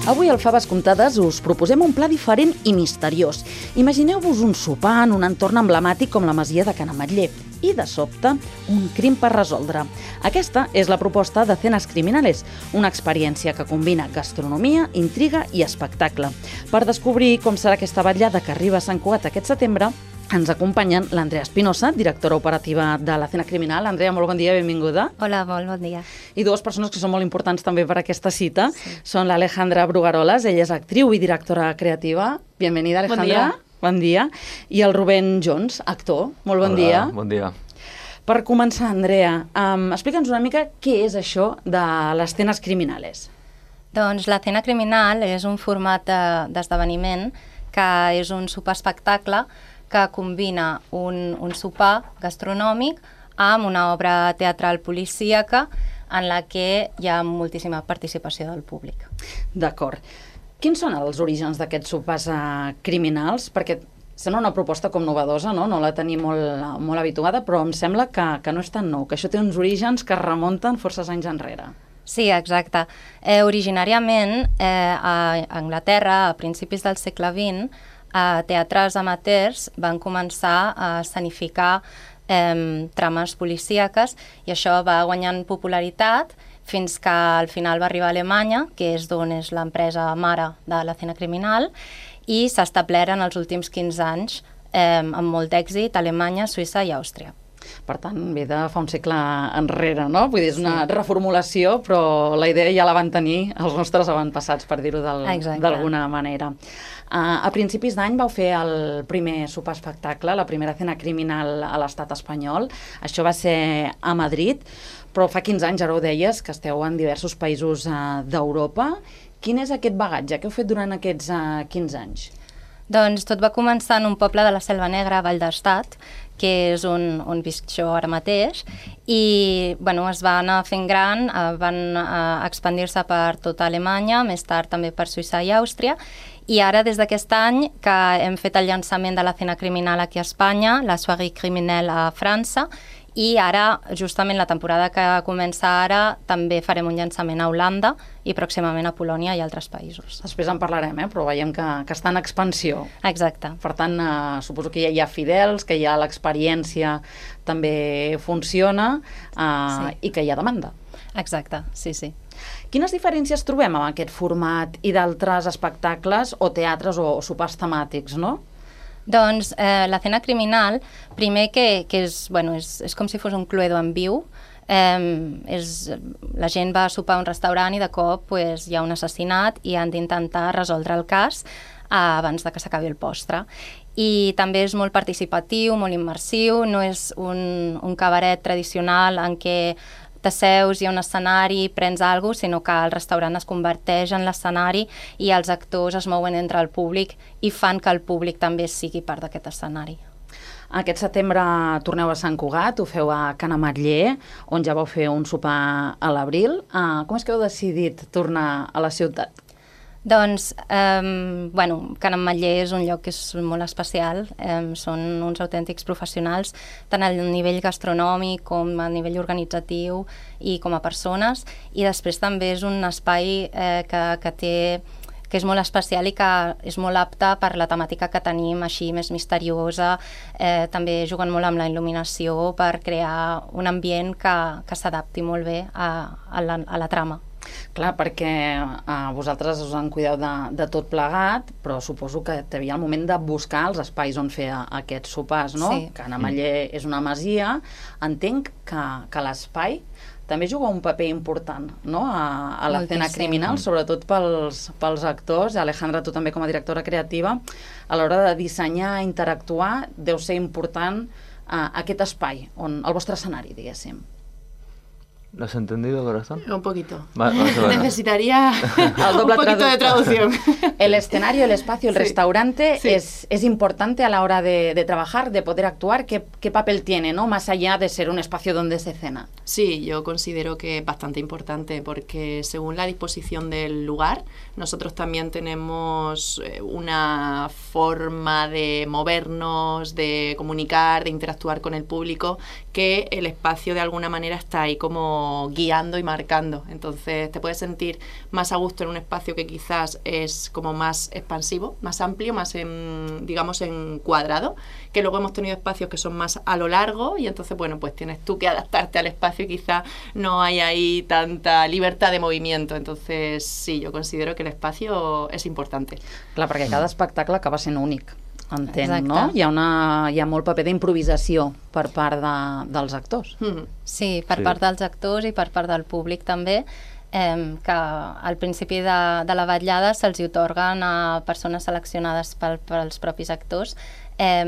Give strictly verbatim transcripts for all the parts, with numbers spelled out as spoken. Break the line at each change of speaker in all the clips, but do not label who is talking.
Avui al Faves Comptades us proposem un pla diferent i misteriós. Imagineu-vos un sopar en un entorn emblemàtic com la masia de Can Ametller i, de sobte, un crim per resoldre. Aquesta és la proposta de Cenas Criminales, una experiència que combina gastronomia, intriga i espectacle. Per descobrir com serà aquesta vetllada que arriba a Sant Cugat aquest setembre, ens acompanyen l'Andrea Espinosa, directora operativa de la Cena Criminal. Andrea, molt bon dia, benvinguda.
Hola, molt bon dia.
I dues persones que són molt importants també per aquesta cita. Sí. Són l'Alejandra Brugaroles, ella és actriu i directora creativa. Bienvenida, Alejandra. Bon dia. Bon dia. I el Rubén Jones, actor. Molt bon
Hola,
dia.
Bon dia.
Per començar, Andrea, um, explica'ns una mica què és això de les Cenas Criminales.
Doncs la Cena Criminal és un format d'esdeveniment que és un sopar espectacle que combina un, un sopar gastronòmic amb una obra teatral policíaca en la que hi ha moltíssima participació del públic.
D'acord. Quins són els orígens d'aquests sopars uh, criminals? Perquè sembla una proposta com novedosa, no? No la tenim molt, molt habituada, però em sembla que, que no és tan nou, que això té uns orígens que es remunten forces anys enrere.
Sí, exacte. Eh, originàriament, eh, a Anglaterra, a principis del segle vint, eh, teatres amateurs van començar a escenificar eh, trames policíaques i això va guanyant popularitat fins que al final va arribar a Alemanya, que és d'on és l'empresa mare de la Cena Criminal, i s'ha establert en els últims quinze anys eh, amb molt d'èxit a Alemanya, Suïssa i Àustria.
Per tant, ve de fa un segle enrere, no? Vull dir, és una reformulació, però la idea ja la van tenir els nostres avantpassats, per dir-ho d'alguna manera. Uh, a principis d'any vau fer el primer sopar espectacle, la primera Cena Criminal a l'estat espanyol. Això va ser a Madrid, però fa quinze anys, ara ho deies, que esteu en diversos països uh, d'Europa. Quin és aquest bagatge? Què heu fet durant aquests uh, quinze anys?
Doncs tot va començar en un poble de la Selva Negra, Vall d'Estat, que és on, on visc jo ara mateix, i bueno, es va anar fent gran, eh, van eh, expandir-se per tota Alemanya, més tard també per Suïssa i Àustria, i ara des d'aquest any que hem fet el llançament de la Cena Criminal aquí a Espanya, la Soirée Criminelle a França, i ara, justament la temporada que comença ara, també farem un llançament a Holanda i pròximament a Polònia i altres països.
Després en parlarem, eh? Però veiem que, que està en expansió.
Exacte.
Per tant, eh, suposo que ja hi ha fidels, que ja l'experiència també funciona eh, sí. I que hi ha demanda.
Exacte, sí, sí.
Quines diferències trobem amb aquest format i d'altres espectacles o teatres o sopars temàtics, no?
Doncs eh, la Cena Criminal, primer que, que és, bueno, és, és com si fos un Cluedo en viu, eh, és, la gent va a sopar a un restaurant i de cop pues, hi ha un assassinat i han d'intentar resoldre el cas eh, abans de que s'acabi el postre. I també és molt participatiu, molt immersiu, no és un, un cabaret tradicional en què t'asseus, hi ha un escenari, prens alguna cosa, sinó que el restaurant es converteix en l'escenari i els actors es mouen entre el públic i fan que el públic també sigui part d'aquest escenari.
Aquest setembre torneu a Sant Cugat, ho feu a Can Ametller, on ja vau fer un sopar a l'abril. Uh, com és que heu decidit tornar a la ciutat?
Doncs, eh, bueno, Can Ametller és un lloc que és molt especial, eh, són uns autèntics professionals, tant a nivell gastronòmic com a nivell organitzatiu i com a persones, i després també és un espai eh, que, que té que és molt especial i que és molt apte per la temàtica que tenim, així més misteriosa, eh, també juguen molt amb la il·luminació per crear un ambient que, que s'adapti molt bé a, a, la, a la trama.
Clar, perquè eh, vosaltres us han cuidat de, de tot plegat, però suposo que hi havia el moment de buscar els espais on fer aquests sopars, no?
Sí.
Can Ametller és una masia. Entenc que, que l'espai també juga un paper important, no? a, a la Cena Criminal, sobretot pels, pels actors. Alejandra, tu també com a directora creativa, a l'hora de dissenyar, interactuar, deu ser important eh, aquest espai, on, el vostre escenari, diguéssim.
¿Lo has entendido, corazón?
Un poquito.
Va, vale, vale.
Necesitaría
el doble
un poquito de traducción.
El escenario, el espacio, el
sí.
restaurante
sí.
Es, es importante a la hora de, de trabajar, de poder actuar. ¿Qué, qué papel tiene, ¿no? Más allá de ser un espacio donde se cena?
Sí, yo considero que es bastante importante porque según la disposición del lugar, nosotros también tenemos una forma de movernos, de comunicar, de interactuar con el público, que el espacio de alguna manera está ahí como como guiando y marcando. Entonces te puedes sentir más a gusto en un espacio que quizás es como más expansivo, más amplio, más en, digamos, en cuadrado, que luego hemos tenido espacios que son más a lo largo y entonces, bueno, pues tienes tú que adaptarte al espacio y quizá no hay ahí tanta libertad de movimiento. Entonces, sí, yo considero que el espacio és important.
Clar, perquè cada espectacle acaba sent únic, entenc,
Exacte.
no? Hi ha, una, hi ha molt paper d'improvisació per part de, dels actors.
Mm.
Sí, per
Sí.
part dels actors i per part del públic també, eh, que al principi de, de la vetllada se'ls atorguen a persones seleccionades pel, pels propis actors eh,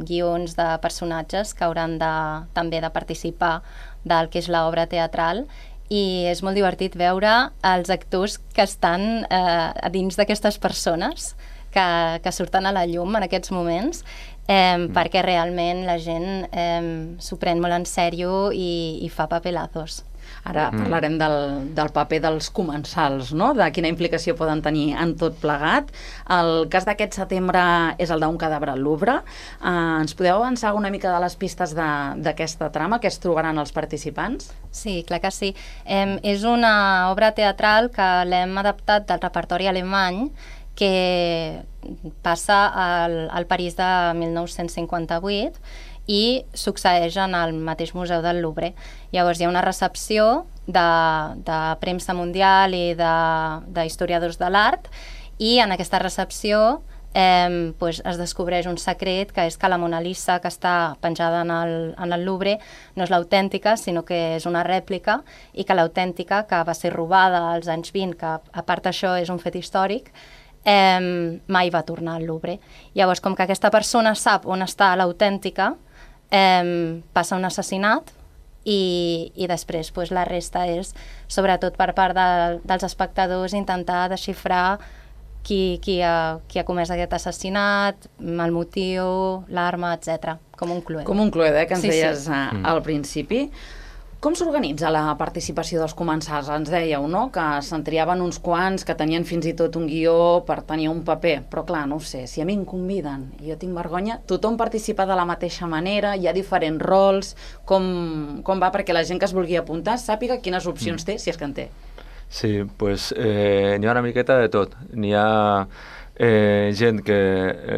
guions de personatges que hauran de, també de participar del que és l'obra teatral, i és molt divertit veure els actors que estan eh, a dins d'aquestes persones que, que surten a la llum en aquests moments, eh, mm. perquè realment la gent eh, s'ho pren molt en sèrio i, i fa papelazos.
Ara mm. parlarem del, del paper dels comensals, no? De quina implicació poden tenir en tot plegat. El cas d'aquest setembre és el d'un cadàver al Louvre. Uh, ens podeu avançar una mica de les pistes d'aquesta trama que es trobaran els participants?
Sí, clar que sí. Eh, és una obra teatral que l'hem adaptat del repertori alemany, que passa al, al París de mil nou-cents cinquanta-vuit i succeeix en el mateix Museu del Louvre. Llavors hi ha una recepció de, de premsa mundial i d'historiadors de, de l'art, i en aquesta recepció eh, pues es descobreix un secret, que és que la Mona Lisa, que està penjada en el, en el Louvre, no és l'autèntica, sinó que és una rèplica, i que l'autèntica, que va ser robada als anys vint, que a part d'això és un fet històric, eh, mai va tornar al Louvre. Llavors, com que aquesta persona sap on està l'autèntica, eh, passa un assassinat, i, i després pues, la resta és, sobretot per part de, dels espectadors, intentar desxifrar qui, qui, ha, qui ha comès aquest assassinat, el motiu, l'arma, etcètera. Com un cluedo.
Com un cluedo, eh, que ens
Sí, sí.
deies sí. al principi. Com s'organitza la participació dels comensals? Ens dèieu, no?, que se'n triaven uns quants, que tenien fins i tot un guió per tenir un paper. Però clar, no ho sé, si a mi em conviden i jo tinc vergonya, tothom participa de la mateixa manera, hi ha diferents rols, com, com va perquè la gent que es vulgui apuntar sàpiga quines opcions té, si és que en té.
Sí, pues eh, n'hi ha una miqueta de tot. N'hi ha eh, gent que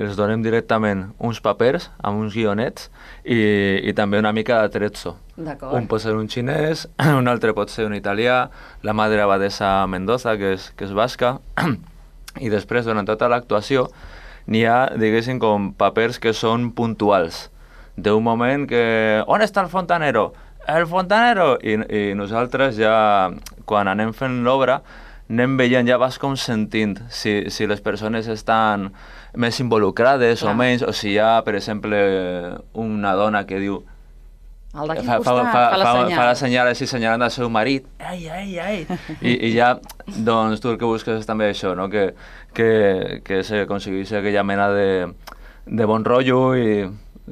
els donem directament uns papers amb uns guionets i, i també una mica de trezzo. Un pot ser un xinès, un altre pot ser un italià, la madre abadesa Mendoza, que és, que és basca, i després, durant tota l'actuació, n'hi ha, diguéssim, com papers que són puntuals. D'un moment que... On està el fontanero? El fontanero! I, i nosaltres ja, quan anem fent l'obra, anem veient, ja vas com sentint si, si les persones estan més involucrades Clar. o menys, o si hi ha, per exemple, una dona que diu...
El d'aquí
fa,
costat,
fa, fa,
fa la senyal.
Fa la senyal així, senyalant al seu marit. Ai, ai, ai. I, I ja, doncs, tu el que busques és també això, no? Que, que, que s'aconsegueixi aquella mena de, de bon rotllo i...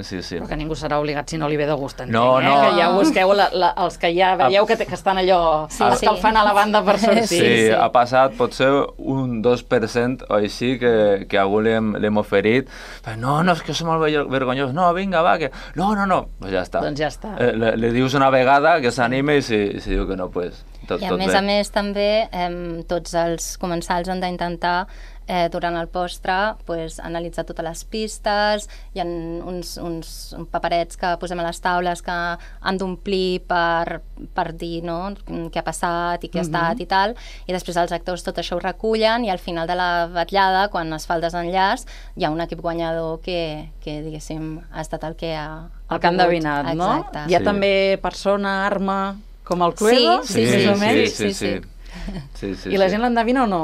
Sí, sí.
Però que ningú serà obligat si no li ve de gust, entenc,
no,
eh?
no.
Que ja busqueu la, la, els que ja veieu que, que estan allò
Sí,
escalfant
sí.
a la banda per sortir.
Sí, sí, ha passat potser un dos per cent o així que, que a algú li hem, li hem oferit. No, no, és que és molt vergonyós. No, vinga, va, que... No, no, no. Pues ja està.
Doncs ja està.
Eh, li, li dius una vegada que s'anime i si, si diu que no, pues tot,
I a
tot
més
bé.
a més també eh, tots els comensals han d'intentar eh, durant el postre pues, analitzar totes les pistes, hi ha uns, uns paperets que posem a les taules que han d'omplir per, per dir no, què ha passat i què ha estat
Mhm.
i tal, i després els actors tot això ho recullen i al final de la vetllada, quan es fa el desenllaç, hi ha un equip guanyador que, que diguéssim, ha estat el que ha...
El que han endevinat, no?
Exacte.
Hi ha
Sí.
també persona, arma, com el Cluedo?
Sí,
més o menys?
sí,
sí,
sí,
sí.
sí, sí,
I la
sí.
gent l'endevina o no?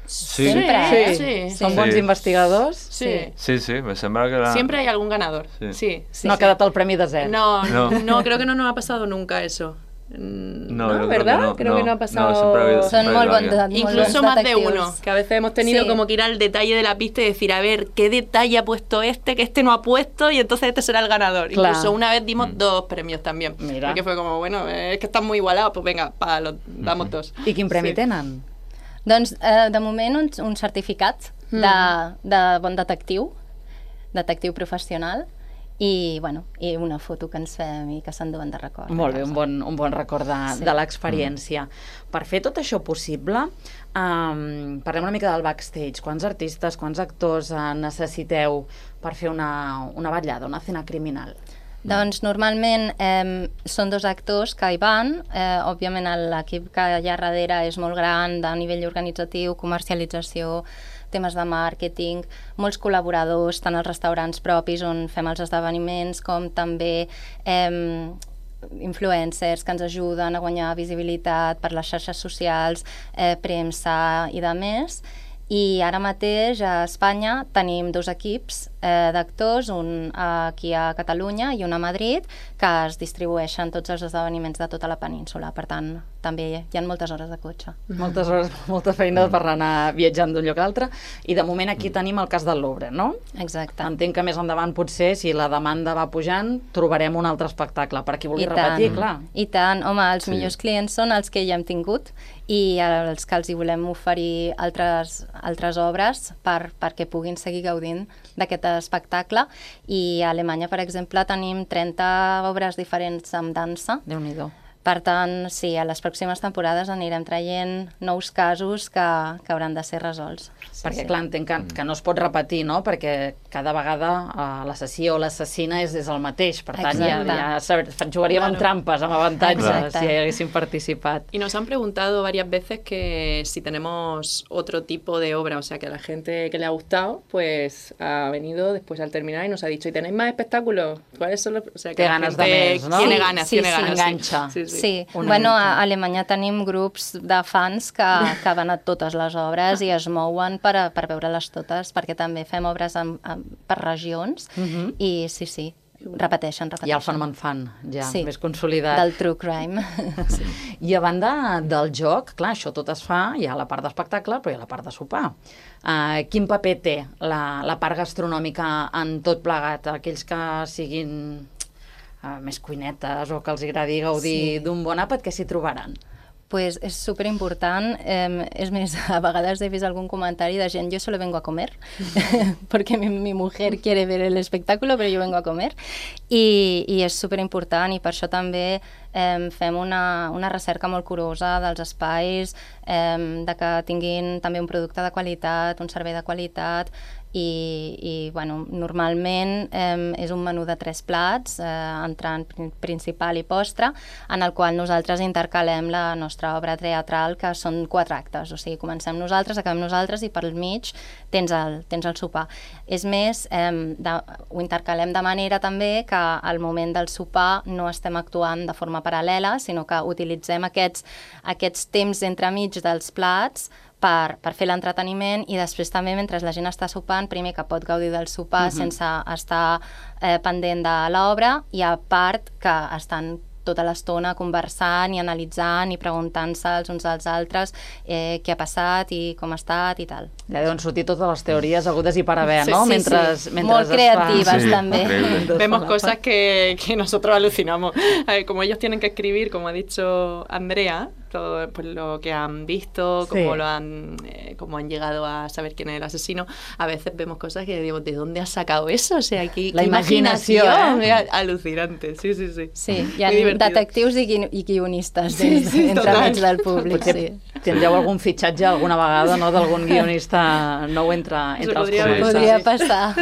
Sí.
Sempre,
Sí,
eh?
sí.
Són
Sí.
bons investigadors?
Sí.
Sí, sí, me sembra que la...
Siempre hay algún ganador.
Sí.
Sí, sí,
no ha
sí.
quedat el premi de zero.
No,
No.
no, creo que no nos ha pasado nunca eso. Mm,
No, yo creo que
¿verdad?
no,
creo
no,
que no ha
no,
pasado.
siempre ha habido-
Son
siempre ha
molt
habido
bons,
alguien.
molt
Incluso
bons
más de
detectius.
uno, que a veces hemos tenido
Sí.
como que ir al detalle de la pista y decir, a ver, ¿qué detalle ha puesto este que este no ha puesto? Y entonces este será el ganador.
Claro.
Incluso una vez dimos dos premios también.
Mira.
Porque fue como, bueno, eh, es que están muy igualados, pues venga, pa, los damos dos.
I quin premi
Sí.
tenen?
Doncs, eh, de moment, un, un certificat de, de bon detectiu, detectiu professional, i, bueno, i una foto que ens fem i que s'enduen de record.
Molt bé, un bon, un bon record de,
Sí.
de l'experiència. Mm. Per fer tot això possible, um, parlem una mica del backstage. Quants artistes, quants actors uh, necessiteu per fer una, una vetllada, una escena criminal?
Doncs normalment eh, són dos actors que hi van, eh, òbviament l'equip que hi ha darrere és molt gran, de nivell organitzatiu, comercialització, temes de màrqueting, molts col·laboradors, tant als restaurants propis on fem els esdeveniments, com també eh, influencers que ens ajuden a guanyar visibilitat per les xarxes socials, eh, premsa i de més. I ara mateix a Espanya tenim dos equips eh, d'actors, un aquí a Catalunya i un a Madrid, que es distribueixen tots els esdeveniments de tota la península. Per tant, també hi ha moltes hores de cotxe.
Moltes hores, molta feina per anar viatjant d'un lloc a l'altre. I de moment aquí tenim el cas del Louvre, no?
Exacte.
Entenc que més endavant potser, si la demanda va pujant, trobarem un altre espectacle. Per qui vulgui
I
repetir,
tant.
clar.
I tant, home, els
Sí.
millors clients són els que ja hem tingut i els que els hi volem oferir altres, altres obres per, perquè puguin seguir gaudint d'aquest espectacle. I a Alemanya, per exemple, tenim trenta obres diferents amb dansa.
Déu-n'hi-do.
Per tant, sí, a les pròximes temporades anirem traient nous casos que, que hauran de ser resolts. Sí,
Perquè,
sí.
clar, entenc que, que no es pot repetir, no? Perquè cada vegada uh, l'assassí o l'assassina és, és el mateix. Per tant, ja,
Exacte.
ja saber, jugaríem
Claro.
amb trampes, amb avantatges,
Exacte.
si haguéssim participat.
Y nos han preguntado varias veces que si tenemos otro tipo de obra, o sea, que a la gente que le ha gustado, pues ha venido después al terminar y nos ha dicho, ¿y tenéis más espectáculos? ¿Cuáles son los...? O sea, que
Té
la
ganes de
gente
més, no?
Tiene
Sí,
ganas,
sí,
tiene
sí.
ganas.
Enganxa.
Sí, sí.
Sí,
Una
bueno,
mica.
a Alemanya tenim grups de fans que, que van a totes les obres i es mouen per, a, per veure-les totes, perquè també fem obres en, en, per regions
Mhm.
i sí, sí, repeteixen, repeteixen.
Ja el fenomen fan, ja,
Sí,
més consolidat.
del true crime. Sí.
I a banda del joc, clar, això tot es fa, hi ha la part d'espectacle, però hi ha la part de sopar. Uh, quin paper té la, la part gastronòmica en tot plegat? Aquells que siguin uh, més cuinetes o que els agradi gaudir
Sí.
d'un bon àpat, què s'hi trobaran?
Pues es súper important. Eh, es més, a vegades he vist algún comentario de gent, yo solo vengo a comer, porque mi, mi mujer quiere ver el espectáculo, pero yo vengo a comer. I, i és súper important i per això també eh, fem una, una recerca molt curosa dels espais, eh, de que tinguin també un producte de qualitat, un servei de qualitat, i, i bueno, normalment eh, és un menú de tres plats, eh, entrant prin- principal i postre, en el qual nosaltres intercalem la nostra obra teatral, que són quatre actes, o sigui, comencem nosaltres, acabem nosaltres i pel mig tens el, tens el sopar. És més, eh, de, ho intercalem de manera també que al moment del sopar no estem actuant de forma paral·lela, sinó que utilitzem aquests, aquests temps entremig dels plats per, per fer l'entreteniment i després també mentre la gent està sopant, primer que pot gaudir del sopar
Mhm.
sense estar eh, pendent de l'obra i a part que estan tota l'estona conversant i analitzant i preguntant-se els uns als altres eh, què ha passat i com ha estat i tal.
Ja deuen sortir totes les teories hagudes i per haver,
Sí,
no?
sí,
mentre,
sí.
mentre
Molt
es fa-
creatives,
Sí,
també.
increíble.
Vemos cosas que, que nosotros alucinamos. A ver, como ellos tienen que escribir, como ha dicho Andrea, todo pues, lo que han visto, cómo
Sí.
lo han, eh, cómo han llegado a saber quién es el asesino, a veces vemos cosas que digo, ¿de dónde has sacado eso? O sea, aquí
La imaginación, ¿eh?
Alucinante, sí, sí, sí.
Sí, hi ha
Muy divertido.
detectius i, gui- i guionistes
Sí,
dins,
sí,
entre
total.
mig del públic.
Potser
Sí.
tindreu algun fitxatge alguna vegada, no?, d'algun guionista nou entre, entre els
podria
comensals.
Podria passar.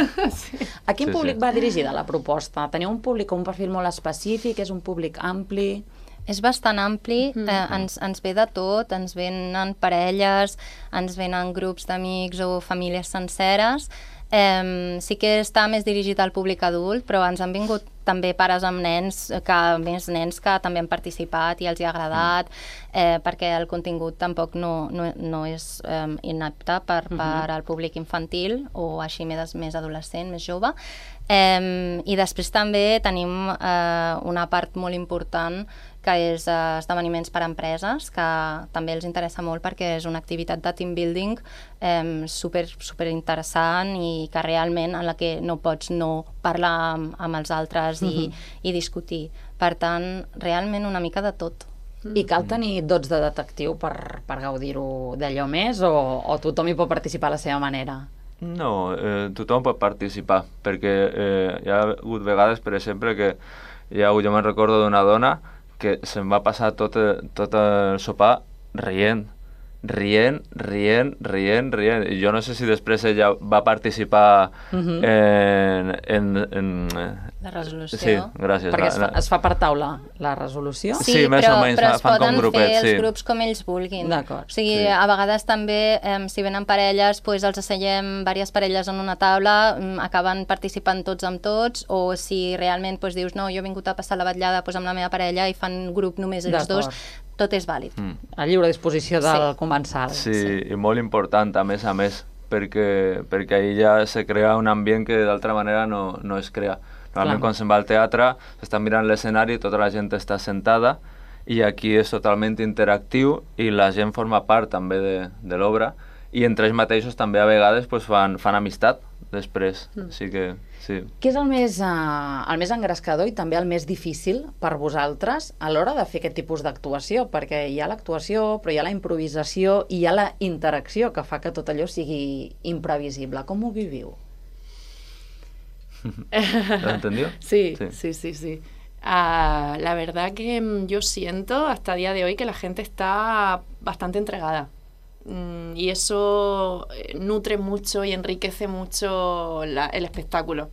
A quin
Sí,
públic
sí.
va dirigida la proposta? Teniu un públic o un perfil molt específic? És un públic ampli?
És bastant ampli, eh, ens, ens ve de tot, ens venen parelles, ens venen grups d'amics o famílies senceres. Eh, sí que està més dirigit al públic adult, però ens han vingut també pares amb nens, que més nens que també han participat i els hi ha agradat, eh, perquè el contingut tampoc no, no, no és eh, inapte per, per al públic infantil o així més, més adolescent, més jove. Eh, I després també tenim eh, una part molt important que és eh, esdeveniments per a empreses, que també els interessa molt perquè és una activitat de team building eh, super, super interessant i que realment en la que no pots no parlar amb, amb els altres i, i discutir. Per tant, realment una mica de tot.
I cal tenir dots de detectiu per, per gaudir-ho d'allò més o, o tothom hi pot participar a la seva manera?
No, eh, tothom pot participar, perquè eh, hi ha hagut vegades, per exemple, que hi ha, jo me'n recordo d'una dona que se'n va passar tot, tot el sopar rient, rient, rient, rient, rient. I jo no sé si després ella va participar uh-huh. en, en, en...
La resolució.
Sí, gràcies.
Perquè es fa, es fa per taula la resolució?
Sí,
sí més
però,
o menys,
però es
fan
poden
com grupets,
fer els
sí.
grups com ells vulguin.
D'acord.
O sigui,
Sí.
a vegades també, eh, si venen parelles, pues els asseiem diverses parelles en una taula, mm, acaben participant tots amb tots, o si realment pues, dius, no, jo he vingut a passar la vetllada pues, amb la meva parella i fan grup només ells dos, tot és vàlid.
Mm.
A lliure disposició del
Sí.
comensal.
Sí, sí, i molt important, a més a més, perquè, perquè ahir ja se crea un ambient que d'altra manera no, no es crea. Normalment
Clar.
quan se'n va al teatre s'està mirant l'escenari, tota la gent està sentada i aquí és totalment interactiu i la gent forma part també de, de l'obra i entre ells mateixos també a vegades pues, fan, fan amistat després. Mm. Així que sí.
Què és el més, uh, el més engrescador i també el més difícil per vosaltres a l'hora de fer aquest tipus d'actuació? Perquè hi ha l'actuació, però hi ha la improvisació i hi ha la interacció que fa que tot allò sigui imprevisible. Com ho viviu?
¿Lo entendió?
Sí, sí, sí, sí. sí. Uh, la verdad que mm, yo siento hasta el día de hoy que la gente está bastante entregada. Mm, y eso eh, nutre mucho y enriquece mucho la, el espectáculo.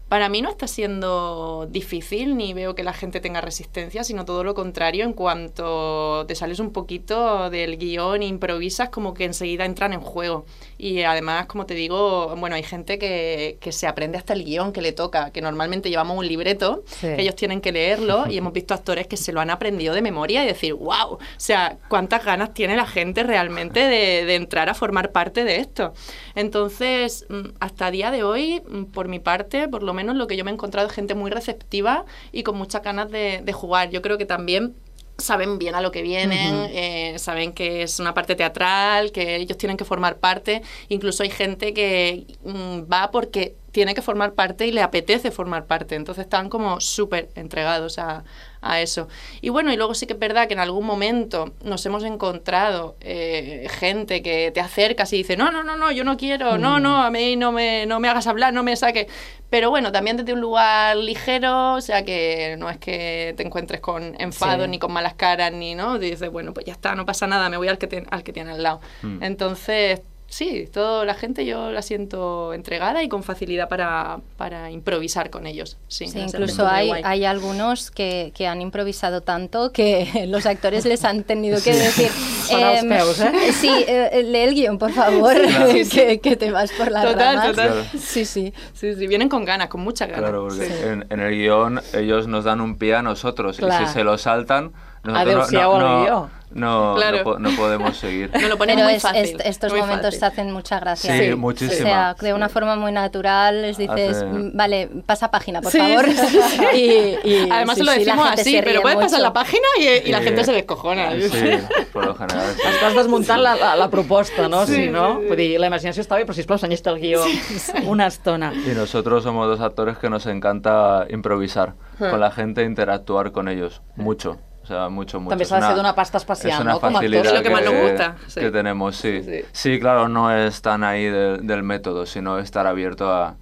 Para mí no está siendo difícil, ni veo que la gente tenga resistencia, sino todo lo contrario. En cuanto te sales un poquito del guión e improvisas, como que enseguida entran en juego. Y además, como te digo, bueno, hay gente que, que se aprende hasta el guión que le toca, que normalmente llevamos un libreto,
sí.
que ellos tienen que leerlo, y hemos visto actores que se lo han aprendido de memoria y decir, wow, o sea, cuántas ganas tiene la gente realmente de, de entrar a formar parte de esto. Entonces, hasta día de hoy, por mi parte, por lo menos lo que yo me he encontrado es gente muy receptiva y con muchas ganas de, de jugar. Yo creo que también saben bien a lo que vienen, uh-huh. eh, saben que es una parte teatral, que ellos tienen que formar parte. Incluso hay gente que mm, va porque tiene que formar parte y le apetece formar parte. Entonces están como súper entregados a, a eso. Y bueno, y luego sí que es verdad que en algún momento nos hemos encontrado eh, gente que te acercas y dice, no, no, no, no, yo no quiero, mm. no, no, a mí no me, no me hagas hablar, no me saques. Pero bueno, también desde un lugar ligero, o sea que no es que te encuentres con enfado sí. ni con malas caras, ni no, dices, bueno, pues ya está, no pasa nada, me voy al que, te, al que tiene al lado. Mm. Entonces, sí, toda la gente yo la siento entregada y con facilidad para, para improvisar con ellos. Sí,
sí incluso hay, hay algunos que, que han improvisado tanto que los actores les han tenido que sí. decir
eh, peus, ¿eh?
sí, eh, lee el guión, por favor, claro. que, que te vas por la
total,
ramas.
Total,
claro.
sí, sí, sí, sí, vienen con ganas, con muchas ganas.
Claro, porque
sí.
en, en el guión ellos nos dan un pie a nosotros
claro.
y si se lo saltan, nosotros
no,
no,
no,
no, no,
claro.
no, no podemos seguir.
No lo ponemos
Pero
muy
es,
fácil.
Es, estos
muy
momentos
fácil.
te hacen mucha gracia.
Sí,
sí.
muchísima.
O sea, de una
sí.
forma muy natural les dices,
Hace...
vale, pasa página, por
sí,
favor.
Sí, sí, sí.
y, y,
Además
sí,
se lo decimos
sí,
así, pero puedes
mucho.
pasar la página y, y la
sí.
gente se descojona.
Sí, por lo general. Sí.
Estàs desmuntant la, la, la proposta, no?
Sí,
Sí, no?
sí, sí.
Vull dir, la imaginació està bé, però sisplau, senyeix-te el guió sí, sí. una estona.
Y nosotros somos dos actores que nos encanta improvisar hmm. con la gente, interactuar con ellos, mucho. O sea, mucho, mucho.
També s'ha de ser d'una pasta especial,
¿no?
Como actor.
Es lo que más nos gusta.
Sí. Que tenemos, sí.
sí.
Sí, claro, no es tan ahí de, del método, sino estar abierto a,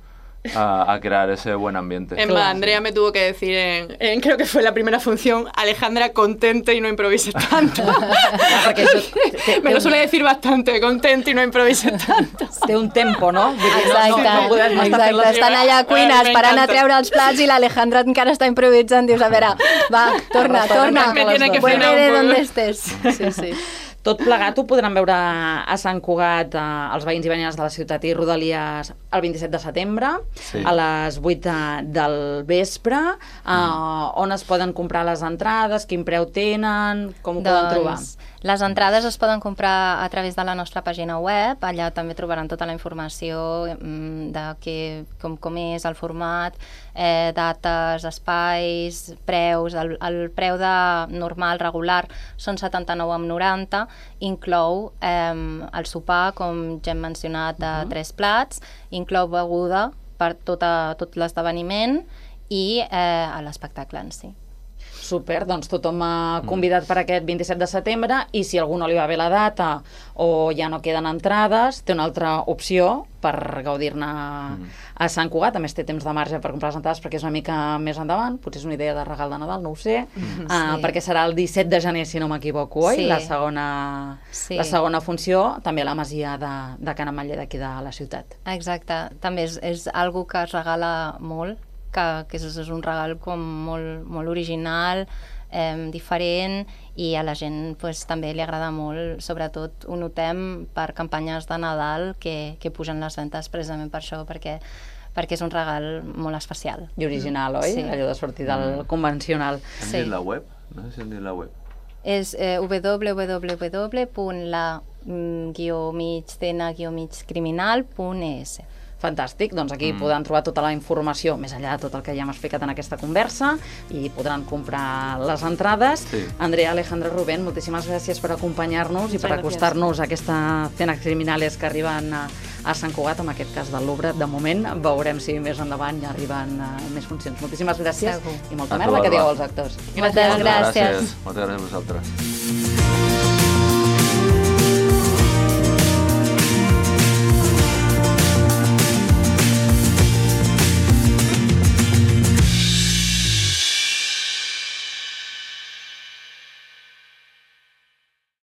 a, a crear ese buen ambiente.
Es más, Andrea me tuvo que decir, en, en creo que fue la primera función, Alejandra, contente y no improvises tanto. Me lo suele decir bastante, contente y no improvises tanto.
Té un tempo, no?
Exacte,
no, no, no
exacte. Estan allà a cuines parant a treure els plats i l'Alejandra encara està improvisant. Dius, a veure, va, torna, torna.
Me tiene que
Vuelve
frenar
de
un
donde
poco.
estés. Sí, sí.
Tot plegat ho podran veure a Sant Cugat, eh, els veïns i veïnes de la ciutat i rodalies el vint-i-set de setembre, sí. a les vuit de, del vespre. Eh, mm. On es poden comprar les entrades, quin preu tenen, com ho doncs, poden trobar?
Les entrades es poden comprar a través de la nostra pàgina web, allà també trobaran tota la informació de que, com, com és el format, eh, dates, espais, preus. El, el preu de normal, regular, són setanta-nou coma noranta, inclou eh, el sopar, com ja hem mencionat, de uh-huh. tres plats, inclou beguda per tota, tot l'esdeveniment i eh, l'espectacle en si.
Super, doncs tothom ha convidat per aquest vint-i-set de setembre i si a algú no li va bé la data o ja no queden entrades, té una altra opció per gaudir-ne a Sant Cugat. A més, té temps de marge per comprar les entrades perquè és una mica més endavant, potser és una idea de regal de Nadal, no ho sé,
Mm,
uh,
sí.
perquè serà el disset de gener, si no m'equivoco, oi?
Sí.
La segona,
Sí.
la segona funció, també a la masia de, de Can Ametller d'aquí de la ciutat.
Exacte, també és, és algo que es regala molt, que, que és, és un regal com molt, molt original, eh, diferent, i a la gent pues, també li agrada molt, sobretot ho notem per campanyes de Nadal que, que pugen les ventes precisament per això, perquè perquè és un regal molt especial.
I original, oi?
Sí.
Allò de sortir del convencional.
Hem
Sí.
dit la web? No sé si hem dit la web.
És eh, w w w punt la mig criminal punt e s.
Fantàstic, doncs aquí mm. podran trobar tota la informació, més enllà de tot el que ja hem explicat en aquesta conversa, i podran comprar les entrades.
Sí.
Andrea, Alejandra, Rubén, moltíssimes gràcies per acompanyar-nos i per
Gràcies.
acostar-nos a aquesta Cenas Criminales que arriben a, a Sant Cugat, en aquest cas del Louvre. De moment veurem si més endavant ja arriben uh, més funcions. Moltíssimes gràcies
Segur.
i molta
A tu,
merda que
Alba.
digueu als actors.
Moltes gràcies.
Moltes gràcies a vosaltres.